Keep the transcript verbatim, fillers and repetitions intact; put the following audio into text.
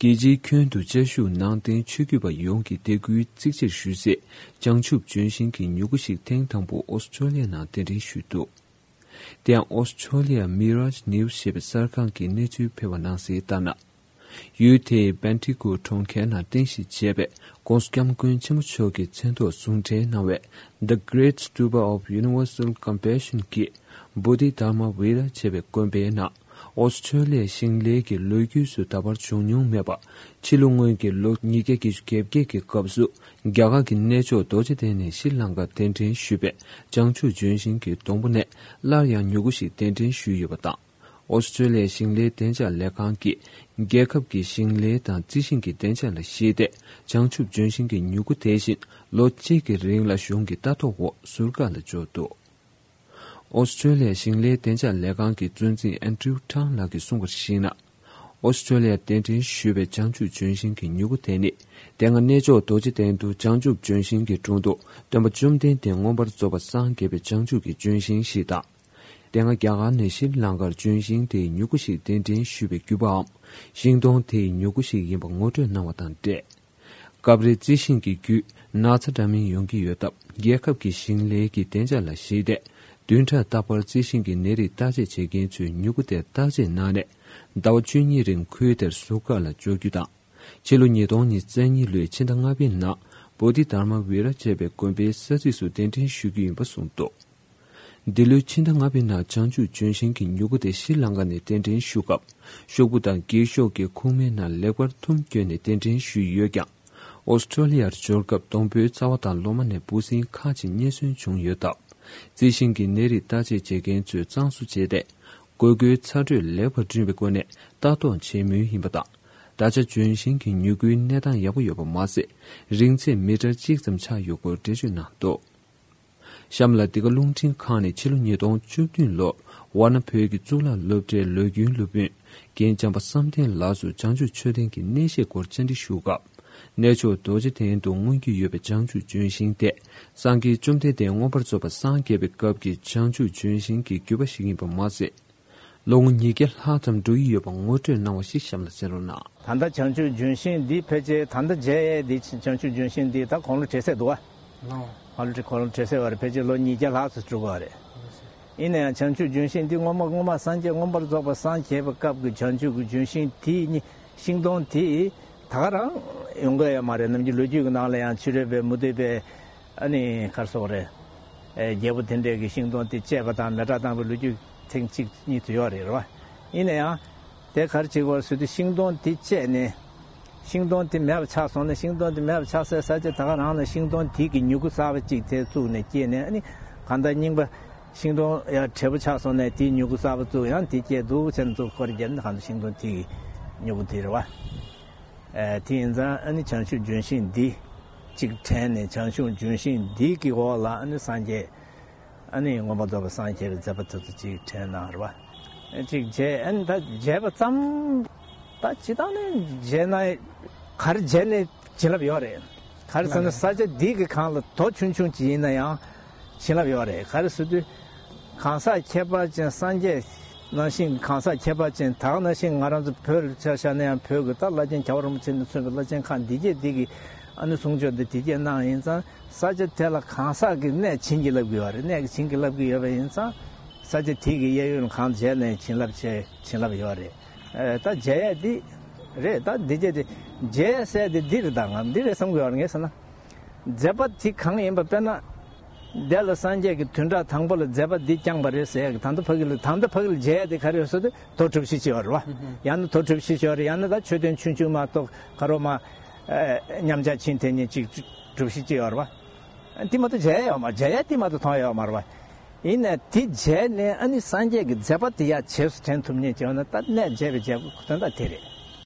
རྒྱལ་སྤྱིའི་ཁྱོན་དུ་བཅའ་བཞུགས་ནང་བསྟན་ཆོས་བརྒྱུད་པ་ཡོངས་ཀྱི་དད་གུས་གཙིགས་ཆེར་ཞུ་སའི་བྱང་ཆུབ་ལྗོན་ཤིང་གི་མྱུ་གུ་ཞིག་ཐེངས་དང་པོ་ཨོ་སི་ཀྲོ་ལི་ཡ་ནང་གདན་འདྲེན་ཞུས་འདུག། དེ་ཡང་ཨོ་སི་ཀྲོ་ལི་ཡ་Mirage News ཞེས་པའི་གསར་ཁང་གིས་གནས་ཚུལ་སྤེལ་བ་ནང་གསལ་ལྟར་ན། ཡུལ་དེའི་Bendigo གྲོང་ཁྱེར་ནང་རྟེན་གཞི་བྱས་པའི་༧གོང་ས་༧སྐྱབས་མགོན་ཆེན་པོ་མཆོག་གི་མཚན་ཐོག་ཟུང་འབྲེལ་གནང་བའི་The Great Stupa of Universal Compassion གྱི་Bodhidharma Vihara ཞེས་པའི་དགོན་པའི་ནང་། ཨོ་སི་ཀྲོ་ལི་ཡའི་ཞིང་ལས་ཀྱི་ལོ་རྒྱུས་སུ་ད་བར་བྱུང་མྱོང་མེད་པ། ཕྱི་ལོ་སྔོན་གྱི་ལོ་ཉིས་བརྒྱ་བརྒྱད་ཅུ་གྱ་བརྒྱད་ཀྱི་སྐབས་སུ། རྒྱ་གར་གྱི་གནས་མཆོག་རྡོ་རྗེ་གདན་ནས་ཤྲི་ལངྐར་གདན་འདྲེན་ཞུས་པའི་བྱང་ཆུབ་ལྗོན་ཤིང་གི་སྡོང་པོ་ནས་སླར་ཡང་མྱུ་གུ་ཞིག་གདན་འདྲེན་ཞུས་ཡོད་པ་དང་། ཨོ་སི་ཀྲོ་ལི་ཡའི་ཞིང་ལས་བདེ་འཇགས་ལས་ཁང་གིས། རྒྱལ་ཁབ་ཀྱི་ཞིང་ལས་དང་རྩི་ཤིང་གི་བདེ་འཇགས་ལ་གཞིགས་ཏེ། བྱང་ཆུབ་ལྗོན་ཤིང་གི་མྱུ་གུ་དེ་བཞིན་ལོ་གཅིག་གི་རིང་ལ་གཞུང་གི་ལྟ་རྟོག་འོག་ཟུར་བཀག་ལ་འཇོག་འདུག། ཨོ་སི་ཀྲོ་ལི་ཡ་ཞིང་ལས་བདེ་འཇགས་ལས་ཁང་གི་གཙོ་འཛིན་ཨན་ཀྲིའུ་ཁྲང་ལགས་ཀྱིས་གསུངས་པར་གཞིགས་ན། ཨོ་སི་ཀྲོ་ལི་ཡར་གདན་འདྲེན་ཞུས་པའི་བྱང་ཆུབ་ལྗོན་ཤིང་གི་མྱུ་གུ་དེ་ནི། དེ་སྔ་གནས་མཆོག་རྡོ་རྗེ་གདན་དུ་བྱང་ཆུབ་ལྗོན་ཤིང་གི་དྲུང་དུ་སྟོན་པ་བཅོམ་ལྡན་འདས་མངོན་པར་རྫོགས་པར་སངས་རྒྱས་པའི་བྱང་ཆུབ་ཀྱི་ལྗོན་ཤིང་ཞིག་དང་། དེ་སྔ་རྒྱ་གར་ནས་ཤྲི་ལང་ཀར་ལྗོན་ཤིང་དེའི་མྱུ་གུ་ཞིག་གདན་འདྲེན་ཞུས་པའི་བརྒྱུད་པའམ། ཤིང་སྡོང་དེའི་མྱུ་གུ་ཞིག་ཡིན་པ་ངོ་སྤྲོད་གནང་བ་དང་འབྲེལ། སྐབས་རེ་རྩི་ཤིང་གི་བརྒྱུད་ན་ཚ་འདྲ་མིན་ཡོང་གི་ཡོད་སྟབས། རྒྱལ་ཁབ་ཀྱི་ཞིང་ལས་ཀྱི་བདེ་འཇགས་ལ་གཞིགས་ཏེ། བདུན་ཕྲག་རྟག་པར་རྩི་ཤིང་གི་ནད་རིགས་བརྟག་དཔྱད་བྱེད་མཁན་ཚོས་མྱུ་གུ་དེ་བརྟག་དཔྱད་གནང་ནས། ཟླ་བ་བཅུ་གཉིས་རིང་ཁུལ་དེར་ཟུར་བཀག་ལ་འཇོག་རྒྱུ་དང་། ཕྱི་ལོ་ཉིས་སྟོང་ཉི་ཤུ་རྩ་གཉིས་ལོའི་ཕྱི་ཟླ་ལྔ་པའི་ནང་། བོ་དྷི་དྷརྨ་ཝི་ར་ཅེས་པའི་དགོན་པའི་ས་ཚིགས་སུ་གདན་འདྲེན་ཞུ་རྒྱུ་ཡིན་པ་གསུངས་འདུག། འདི་ལོའི་ཕྱི་ཟླ་ལྔ་པའི་ནང་བྱང་ཆུབ་ལྗོན་ཤིང་གི་མྱུ་གུ་དེ་ཤྲི་ལང་ཀ་ནས་གདན་འདྲེན་ཞུ་སྐབས། ཤོག་བུ་དང་འགྱིག་ཤོག་གི་ཁུག་མའི་ནང་ལེགས་པར་ཐུམ་བསྐྱོན་ནས་གདན་འདྲེན་ཞུས་ཡོད་ཀྱང་། ཨོ་སི་ཀྲོ་ལི་ཡར་འབྱོར་སྐབས་སྡོང་པོའི་རྩ་བ་དང་ལོ་མ་ནས་འབུ་སྲིན་ཁག་ཅིག་རྙེད་སོན་བྱུང་ཡོད་སྟབས། རྩི་ཤིང་གི་ནད་རིགས་བརྟག་དཔྱད་བྱེད་མཁན་ཚོས་གཙང་བཟོ་བྱས་ཏེ། དགོས་མཁོའི་ཚ་དྲོད་ལེགས་པར་བསྐྲུན་པའི་སྒོ་ནས་ལྟ་རྟོག་བྱེད་མུས་ཡིན་པ་དང་། ད་ཆ་ལྗོན་ཤིང་གི་མྱུ་གུའི་གནས་སྟངས་ཡག་པོ་ཡོད་པ་མ་ཟད། རིང་ཚད་མི་ཊར་གཅིག་ཙམ་ཆགས་ཡོད་སྐོར་འགྲེལ་བརྗོད་གནང་འདུག། གཤམ་ལ་འདི་ག་རླུང་འཕྲིན་ཁང་ནས་ཕྱི་ལོ་ཉིས་སྟོང་བཅུ་བདུན་ལོར་ཝཱ་ཎ་བོད་ཀྱི་གཙུག་ལག་སློབ་གྲྭའི་ལོ་རྒྱུས་སློབ་དཔོན་རྒན་བྱམས་པ་བསམ་གཏན་ལགས་སུ་བྱང་ཆུབ་མཆོད་རྟེན་གྱི་གནས་བཤད་སྐོར་བཅར་འདྲི་ཞུ་སྐབས། གནས་མཆོག་རྡོ་རྗེ་གདན་དུ་མངོན་རྒྱུ་ཡོད་པའི་བྱང་ཆུབ་ལྗོན་ཤིང་དེ། སངས་རྒྱས་བཅོམ་ལྡན་འདས་མངོན་པར་རྫོགས་པར་སངས་རྒྱས་པའི་སྐབས་ཀྱི་བྱང་ཆུབ་ལྗོན་ཤིང་གི་རྒྱུད་པ་ཞིག་ཡིན་པ་མ་ཟད། ལོ་ངོ་ཉིས་བརྒྱ་ལྷག་ཙམ་འགྲོ་ཡི་ཡོད་པ་ངོ་སྤྲོད་གནང་བ་ཞིག་གཤམ་ལ་གསན་རོགས་གནང་། ད་ལྟ་བྱང་ཆུབ་ལྗོན་ཤིང་འདི་ཕལ་ཆེར་ད་ལྟ་མཇལ་ཡས་འདི་བྱང་ཆུབ་ལྗོན་ཤིང་འདི་ད་དགུང་ལོ་བགྲེས་སེ་འདུག་བ། ལོ། ཨ་ལོ་དེ་དགུང་ལོ་བགྲེས་སེ་བ་རེད། ཕལ་ཆེར་ལོ་ཉིས་བརྒྱ་ལྷག་ཙམ་འགྲོ་གི་བ་རེད། ཡིན་ན་ཡང་བྱང་ཆུབ་ལྗོན་ཤིང་འདི་སྔོན་མ་སྔོན་མ་སངས་རྒྱས་མངོན་པར་རྫོགས་པར་སངས་རྒྱས་པའི་སྐབས་ཀྱི་བྱང་ཆུབ་ཀྱི་ལྗོན་ཤིང་དེ་ཉིད་ཤིང་སྡོང་དེ་ད་ག་རང་ཡོང་གི་ཡོད་མ་རེད། ནམ་རྒྱུན་ལོ་རྒྱུས་ཀྱི་ནང་ལ་ཡང་ཕྱི་རོལ་པའི་མུ་སྟེགས་པའི་ཨ་ནི་ག་རེ་ཟེར་དགོས་རེད། ཨེ་རྒྱལ་པོ་དེ་འདྲས་ཀྱི་ཤིང་སྡོང་དེ་བཅད་པ་དང་མེ་སྲེག་བཏང་བའི་ལོ་རྒྱུས་ཐེངས་གཅིག་གཉིས་དུ་ཡོད་རེད། རེད་བ། ཡིན་ན་ཡང་། དེ་ག་རེ་བྱེད་དགོས་ཟེར་དུས་ཤིང་སྡོང་དེ་བཅད་ནས། ཤིང་སྡོང་དེ་མེད་པ་ཆགས་སོང་ན། ཤིང་སྡོང་དེ་མེད་པ་ཆགས་སའི་ས་ཆ་ད་ག་རང་ལ་ཤིང་སྡོང་དེ་གི་མྱུ་གུ་གསར་པ་གཅིག་དེ་བཙུགས་ནས་སྐྱེས་ནས། ཨ་ནི་གང་ལྟར་རྙིང་པ་ཤིང་སྡོང་ཡང་བགྲེས་པོ་ཆགས་སོང་ནས་དེའི་མྱུ་གུ་གསར་པ་བཙུགས། ཡང་དེ་སྐྱེས་འདུག་བྱས་ནས་བཙུགས་སྐོར་བརྒྱབ་ནས་གང་ལྟར་ཤིང་སྡོང་དེ་གི་མྱུ་གུ་དེ་རེད་བ། ཨེ་དེ་ཡིན་ཙང་ཨ་ནི་བྱང་ཆུབ་ལྗོན་ཤིང་འདི་གཅིག་དྲན་ནས། བྱང་ཆུབ་ལྗོན་ཤིང་འདི་གི་འོག་ལ་ཨ་ནི་སངས་རྒྱས། ཨ་ནི་མངོན་པར་རྫོགས་པར་སངས་རྒྱས་པའི་མཛད་པ་དེ་ཚོ་གཅིག་དྲན་གནང་རེད་བ། གཅིག་མཇལ། ཨ་ནི་ད་མཇལ་བ་ཙམ། ད་སྤྱིར་བཏང་ནས་མཇལ་ན་ག་རེ་མཇལ་ནས་བྱིན་རླབས་ཡོད་རེད། ག་རེ་ཟེར་ན་ས་ཆ་འདི་གི་སྒང་ལ་རྡོ་ཆུང་ཆུང་ཅིག་ཡིན་ན་ཡང་བྱིན་རླབས་ཡོད་རེད། ག་རེ་ཟེར་དུས་གང་ཟག་ཁྱད་པར་ཅན་སངས་རྒྱས་ནང་བཞིན་གང་ཟག་ཁྱད་པར་ཅན་ད་ག་ནང་བཞིན་ང་རང་ཚོ་བོད་ལ་ཆ་བཞག་ན་ཡང་བོད་ཀྱི་ད་བླ་ཆེན་རྒྱལ་བ་རིན་པོ་ཆེ་ནས་མཚོན་པའི་བླ་ཆེན་ཁག་འདི་གས་འདི་གི་ཨ་ནི་གསུང་ཆོས་འདི་འདི་གས་གནང་ཡིན་ཙང་། ས་ཆ་དེ་ལ་གང་ཟག་གི་གནས་བྱིན་གྱིས་བརླབས་ཀྱི་ཡོད་རེད། གནས་ཀྱིས་བྱིན་གྱིས་བརླབས་ཀྱི་ཡོད་པ་ཡིན་ཙང་། ས་ཆ་དེ་གི་གཡས་གཡོན་གང་མཇལ་ནས་བྱིན་རླབས་ཆེ། བྱིན་རླབས་ཡོད་རེད། ཨེ་ད་མཇལ་ཡས་འདི་རེད། ད་འདི་བྱས་ཏེ་མཇལ་ཡས་ཟེར་དེ་འདི་རེད། ད་ང་འདི་རེད་བསམ་གྱི་ཡོད་རེད། ངས་ཟེར་ན། མཛད་པ་དེ་གང་ཡིན་པ། དཔེར་ན། དེ་ལ་སངས་རྒྱས་ཀྱི་བདུན་ཕྲག་དང་པོ་ལ་མཛད་པ་འདི་བསྐྱངས་པ་རེད་ཟེར་ཡས་ཀྱི། ད་ལྟ་ཕ་གི་ལ་ད་ལྟ་ཕ་གི་ལ་མཇལ་ཡས་དེ་ག་རེ་ཡོད་ཟེར་དུས་རྡོ་གྲུ་བཞི་ཅིག་ཡོད་རེད་བ། ཡང་ན་རྡོ་གྲུ་བཞི་ཅིག་ཡོད་རེད། ཡང་ན་ད་མཆོད་རྟེན་ཆུང་ཆུང་མ་གཏོགས་ག་རོ་མ། ཨེ་མཉམ་བཞག་ཆེན་དེ་ཉིད་ཅིག་གྲུ་བཞི་ཅིག་ཡོད་རེད་བ། དེ་མ་གཏོགས་མཇལ་ཡས་ཡོད་མ། མཇལ་ཡས་དེ་མ་གཏོགས་མཐོང་ཡས་ཡོད་མ་རེད་བ། ཡིན་ནའི་དེ་མཇལ་ནས་ཨ་ནི་སངས་རྒྱས་ཀྱི་མཛད་པ་དེ་ཡར་རྗེས་སུ་དྲན་ཐུབ་མཁན་བྱས་ན། ད་གནས་མཇལ་བའི་མཇལ་དོན་དག་དེ་རེད།